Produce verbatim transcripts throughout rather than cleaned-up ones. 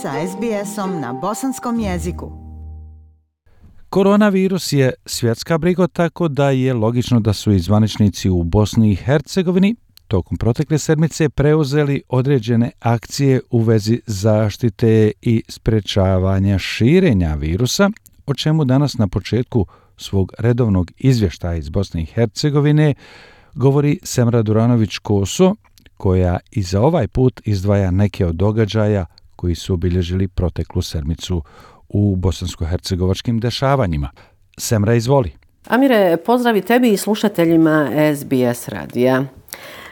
sa es be esom na bosanskom jeziku. Koronavirus je svjetska briga, tako da je logično da su i zvaničnici u Bosni i Hercegovini tokom protekle sedmice preuzeli određene akcije u vezi zaštite i sprečavanja širenja virusa, o čemu danas na početku svog redovnog izvještaja iz Bosne i Hercegovine govori Semra Duranović-Koso, koja i za ovaj put izdvaja neke od događaja koji su obilježili proteklu sedmicu u bosansko-hercegovačkim dešavanjima. Semra, izvoli. Amire, pozdravi tebi i slušateljima es be es radija.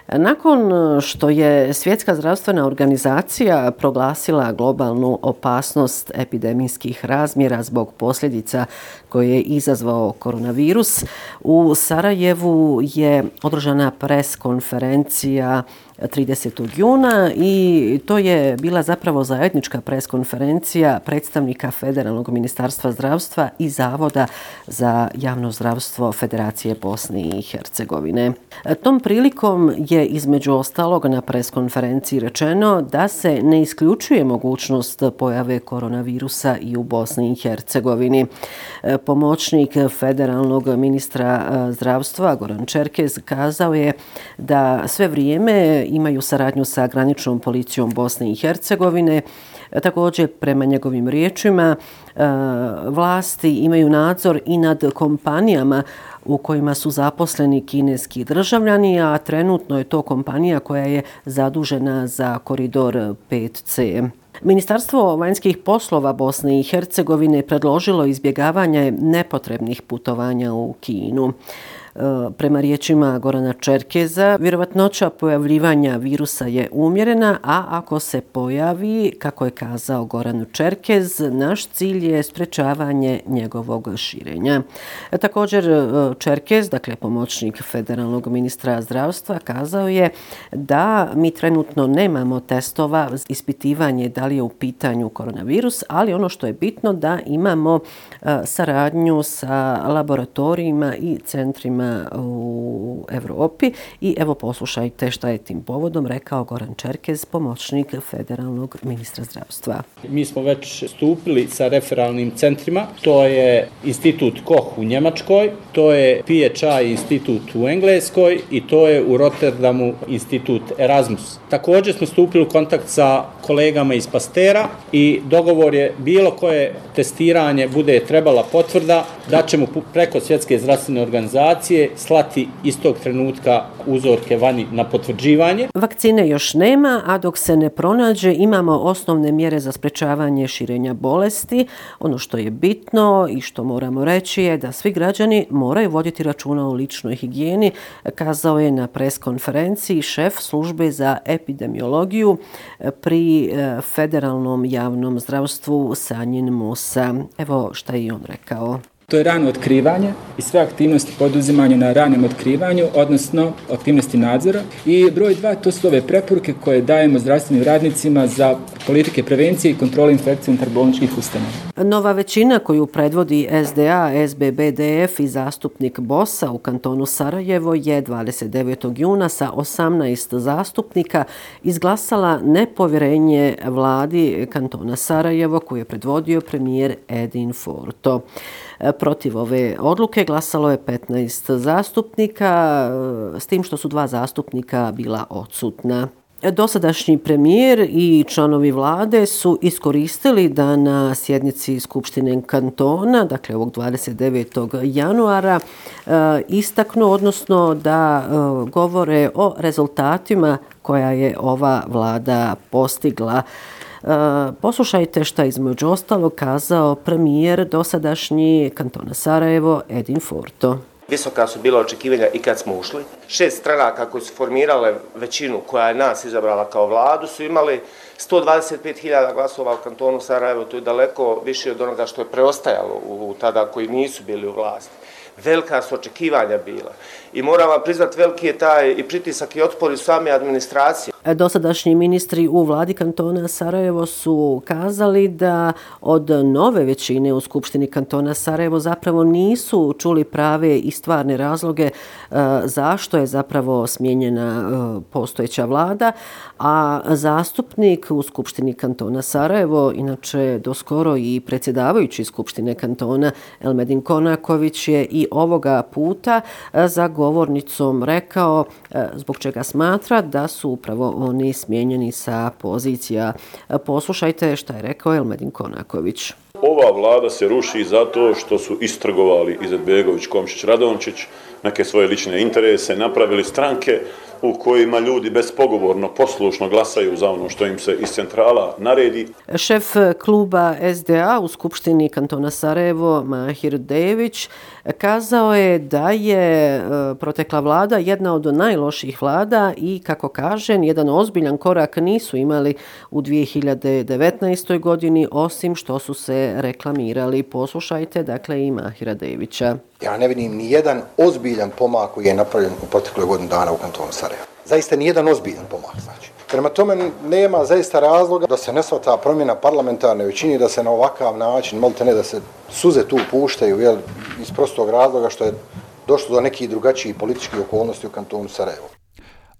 Nakon što je Svjetska zdravstvena organizacija proglasila globalnu opasnost epidemijskih razmjera zbog posljedica koje je izazvao koronavirus, u Sarajevu je održana pres konferencija tridesetog juna i to je bila zapravo zajednička pres konferencija predstavnika Federalnog ministarstva zdravstva i Zavoda za javno zdravstvo Federacije Bosne i Hercegovine. Tom prilikom je između ostalog na pres konferenciji rečeno da se ne isključuje mogućnost pojave koronavirusa i u Bosni i Hercegovini. Pomoćnik Federalnog ministra zdravstva Goran Čerkez kazao je da sve vrijeme imaju saradnju sa graničnom policijom Bosne i Hercegovine. Također, prema njegovim riječima, vlasti imaju nadzor i nad kompanijama u kojima su zaposleni kineski državljani, a trenutno je to kompanija koja je zadužena za koridor pet ce. Ministarstvo vanjskih poslova Bosne i Hercegovine predložilo izbjegavanje nepotrebnih putovanja u Kinu. Prema riječima Gorana Čerkeza, vjerovatnoća pojavljivanja virusa je umjerena, a ako se pojavi, kako je kazao Goran Čerkez, naš cilj je sprečavanje njegovog širenja. Također Čerkez, dakle pomoćnik Federalnog ministra zdravstva, kazao je da mi trenutno nemamo testova za ispitivanje da li je u pitanju koronavirus, ali ono što je bitno da imamo saradnju sa laboratorijima i centrima u Europi. I evo poslušajte šta je tim povodom rekao Goran Čerkez, pomoćnik Federalnog ministra zdravstva. Mi smo već stupili sa referalnim centrima. To je Institut Koch u Njemačkoj, to je P H I institut u Engleskoj i to je u Rotterdamu institut Erasmus. Također smo stupili u kontakt sa kolegama iz Pastera i dogovor je bilo koje testiranje bude trebala potvrda da ćemo preko Svjetske zdravstvene organizacije slati istog trenutka uzorke vani na potvrđivanje. Vakcine još nema, a dok se ne pronađe imamo osnovne mjere za sprečavanje širenja bolesti. Ono što je bitno i što moramo reći je da svi građani moraju voditi računa o ličnoj higijeni, kazao je na pres konferenciji šef službe za epidemiologiju pri Federalnom javnom zdravstvu Sanjin Musa. Evo šta je on rekao. To je rano otkrivanje i sve aktivnosti poduzimanja na ranom otkrivanju, odnosno aktivnosti nadzora. I broj dva, to su ove preporuke koje dajemo zdravstvenim radnicima za politike prevencije i kontrole infekcije unutar bolničkih ustanova. Nova većina koju predvodi es de a, es be be de ef i zastupnik bosa u kantonu Sarajevo je dvadeset devetog juna sa osamnaest zastupnika izglasala nepovjerenje vladi kantona Sarajevo koju je predvodio premijer Edin Forto. Protiv ove odluke glasalo je petnaest zastupnika, s tim što su dva zastupnika bila odsutna. Dosadašnji premijer i članovi vlade su iskoristili da na sjednici Skupštine kantona, dakle ovog dvadeset devetog januara, istaknu, odnosno da govore o rezultatima koja je ova vlada postigla. Poslušajte šta između ostalog kazao premijer dosadašnji kantona Sarajevo Edin Forto. Visoka su bila očekivanja i kad smo ušli. Šest stranaka koje su formirale većinu koja je nas izabrala kao vladu su imali sto dvadeset pet hiljada glasova u kantonu Sarajevo. To je daleko više od onoga što je preostajalo u tada koji nisu bili u vlasti. Velika su očekivanja bila. I moram vam priznati, veliki je taj i pritisak i otpor iz same administracije. Dosadašnji ministri u vladi kantona Sarajevo su kazali da od nove većine u Skupštini kantona Sarajevo zapravo nisu čuli prave i stvarne razloge zašto je zapravo smijenjena postojeća vlada, a zastupnik u Skupštini kantona Sarajevo, inače doskoro i predsjedavajući Skupštine kantona Elmedin Konaković, je i ovoga puta za govornicom rekao zbog čega smatra da su upravo oni smijenjeni sa pozicija. Poslušajte šta je rekao Elmedin Konaković. Ova vlada se ruši zato što su istrgovali Izetbegović, Komšić, Radončić neke svoje lične interese, napravili stranke u kojima ljudi bespogovorno, poslušno glasaju za ono što im se iz centrala naredi. Šef kluba S D A u Skupštini kantona Sarajevo, Mahir Dević, kazao je da je protekla vlada jedna od najlošijih vlada i, kako kaže, jedan ozbiljan korak nisu imali u dvije hiljade devetnaestoj. godini, osim što su se reklamirali. Poslušajte, dakle, i Mahira Devića. Ja ne vidim ni jedan ozbiljan pomak koji je napravljen u protekloj godinu dana u kantonu Sarajevo. Zaista ni jedan ozbiljan pomak, znači. Prema tome nema zaista razloga da se ne shvata promjena parlamentarne većine, da se na ovakav način, molite ne, da se suze tu puštaju, jel, iz prostog razloga što je došlo do nekih drugačijih političkih okolnosti u kantonu Sarajevo.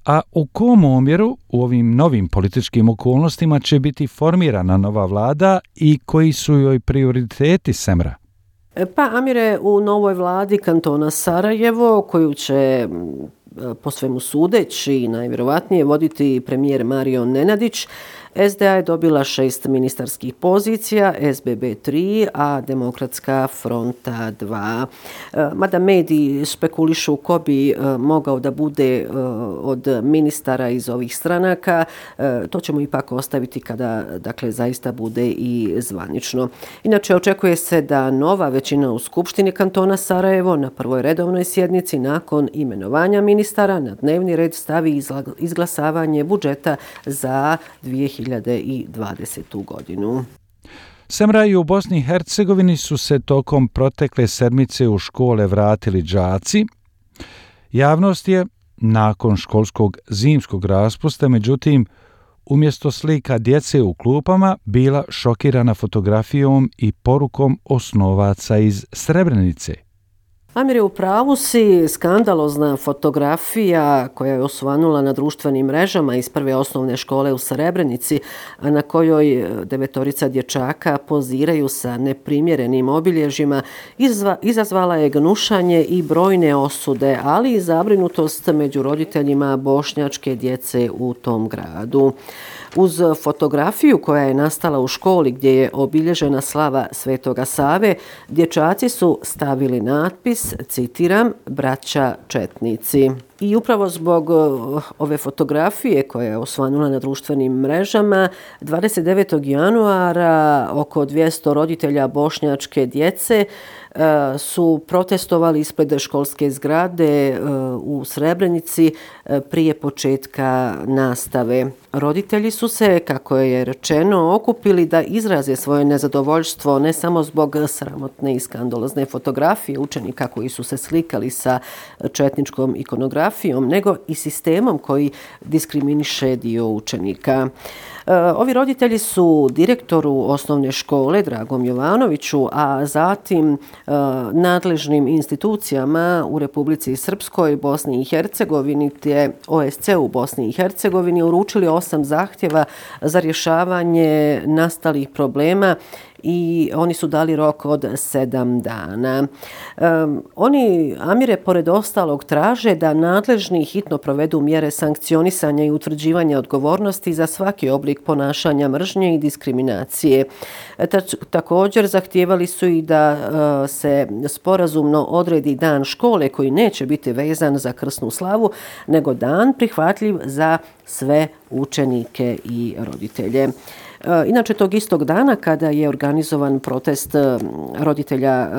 A u kom omjeru u ovim novim političkim okolnostima će biti formirana nova vlada i koji su joj prioriteti Semra? Pa, Amire, u novoj vladi kantona Sarajevo, koju će po svemu sudeći najvjerovatnije voditi premijer Mario Nenadić, S D A je dobila šest ministarskih pozicija, S B B tri, a Demokratska fronta dva. Mada mediji špekulišu ko bi mogao da bude od ministara iz ovih stranaka, to ćemo ipak ostaviti kada, dakle, zaista bude i zvanično. Inače, očekuje se da nova većina u Skupštini kantona Sarajevo na prvoj redovnoj sjednici nakon imenovanja ministara na dnevni red stavi izglasavanje budžeta za dvije hiljade dvadesetu. godinu. Semra i u Bosni i Hercegovini su se tokom protekle sedmice u škole vratili đaci. Javnost je nakon školskog zimskog raspusta, međutim, umjesto slika djece u klupama, bila šokirana fotografijom i porukom osnovaca iz Srebrenice. Amir, u pravu si, skandalozna fotografija koja je osvanula na društvenim mrežama iz prve osnovne škole u Srebrenici, a na kojoj devetorica dječaka poziraju sa neprimjerenim obilježjima, izva, izazvala je gnušanje i brojne osude, ali i zabrinutost među roditeljima bošnjačke djece u tom gradu. Uz fotografiju koja je nastala u školi gdje je obilježena slava Svetoga Save, dječaci su stavili natpis, citiram, braća četnici. I upravo zbog ove fotografije koja je osvanula na društvenim mrežama, dvadeset devetog januara oko dvjesto roditelja bošnjačke djece su protestovali ispred školske zgrade u Srebrenici prije početka nastave. Roditelji su se, kako je rečeno, okupili da izraze svoje nezadovoljstvo ne samo zbog sramotne i skandalozne fotografije učenika koji su se slikali sa četničkom ikonografijom, nego i sistemom koji diskriminiše dio učenika. Ovi roditelji su direktoru osnovne škole Dragom Jovanoviću, a zatim nadležnim institucijama u Republici Srpskoj, Bosni i Hercegovini te O S C u Bosni i Hercegovini uručili osam zahtjeva za rješavanje nastalih problema i oni su dali rok od sedam dana. Um, oni, Amire, pored ostalog traže da nadležni hitno provedu mjere sankcionisanja i utvrđivanja odgovornosti za svaki oblik ponašanja mržnje i diskriminacije. Tač, također zahtijevali su i da uh, se sporazumno odredi dan škole koji neće biti vezan za krsnu slavu, nego dan prihvatljiv za sve učenike i roditelje. Inače, tog istog dana kada je organizovan protest roditelja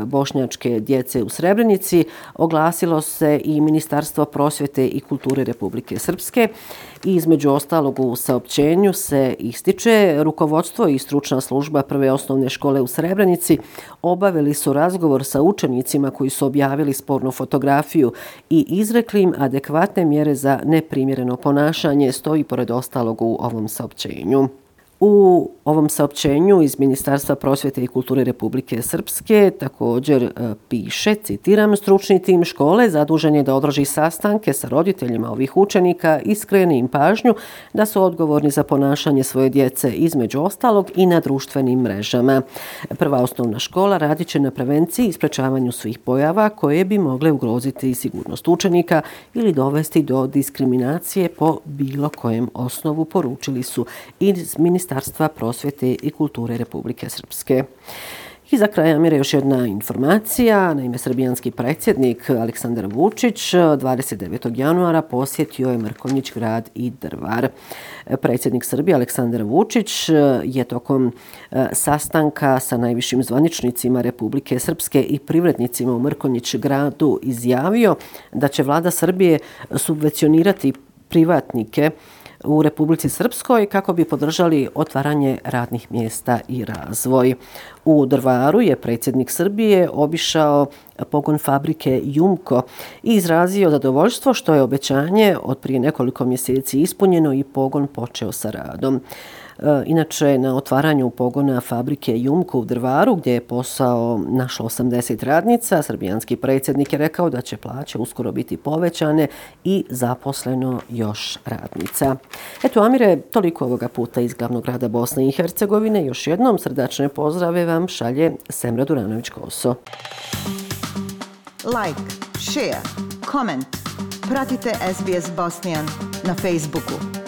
bošnjačke djece u Srebrenici, oglasilo se i Ministarstvo prosvjete i kulture Republike Srpske i između ostalog u saopćenju se ističe rukovodstvo i stručna služba Prve osnovne škole u Srebrenici obavili su razgovor sa učenicima koji su objavili spornu fotografiju i izrekli im adekvatne mjere za neprimjereno ponašanje, stoji pored ostalog u ovom saopćenju. U ovom saopćenju iz Ministarstva prosvjete i kulture Republike Srpske također e, piše, citiram, stručni tim škole zadužen je da održi sastanke sa roditeljima ovih učenika i skrene im pažnju da su odgovorni za ponašanje svoje djece, između ostalog i na društvenim mrežama. Prva osnovna škola radit će na prevenciji i sprečavanju svih pojava koje bi mogle ugroziti sigurnost učenika ili dovesti do diskriminacije po bilo kojem osnovu, poručili su iz Ministarstva prosvjete i kulture Republike Srpske. I za kraj, Amire, još jedna informacija. Naime, srbijanski predsjednik Aleksandar Vučić dvadeset devetog januara posjetio je Mrkonjić Grad i Drvar. Predsjednik Srbije Aleksandar Vučić je tokom sastanka sa najvišim zvaničnicima Republike Srpske i privrednicima u Mrkonjić Gradu izjavio da će vlada Srbije subvencionirati privatnike u Republici Srpskoj kako bi podržali otvaranje radnih mjesta i razvoj. U Drvaru je predsjednik Srbije obišao pogon fabrike Jumko i izrazio zadovoljstvo što je obećanje od prije nekoliko mjeseci ispunjeno i pogon počeo sa radom. Inače, na otvaranju pogona fabrike Jumko u Drvaru, gdje je posao našlo osamdeset radnica, srbijanski predsjednik je rekao da će plaće uskoro biti povećane i zaposleno još radnica. Eto, Amire, toliko ovoga puta iz glavnog grada Bosne i Hercegovine. Još jednom srdačne pozdrave vam šalje Semra Duranović-Koso. Like, share, comment. Pratite S B S Bosnian na Facebooku.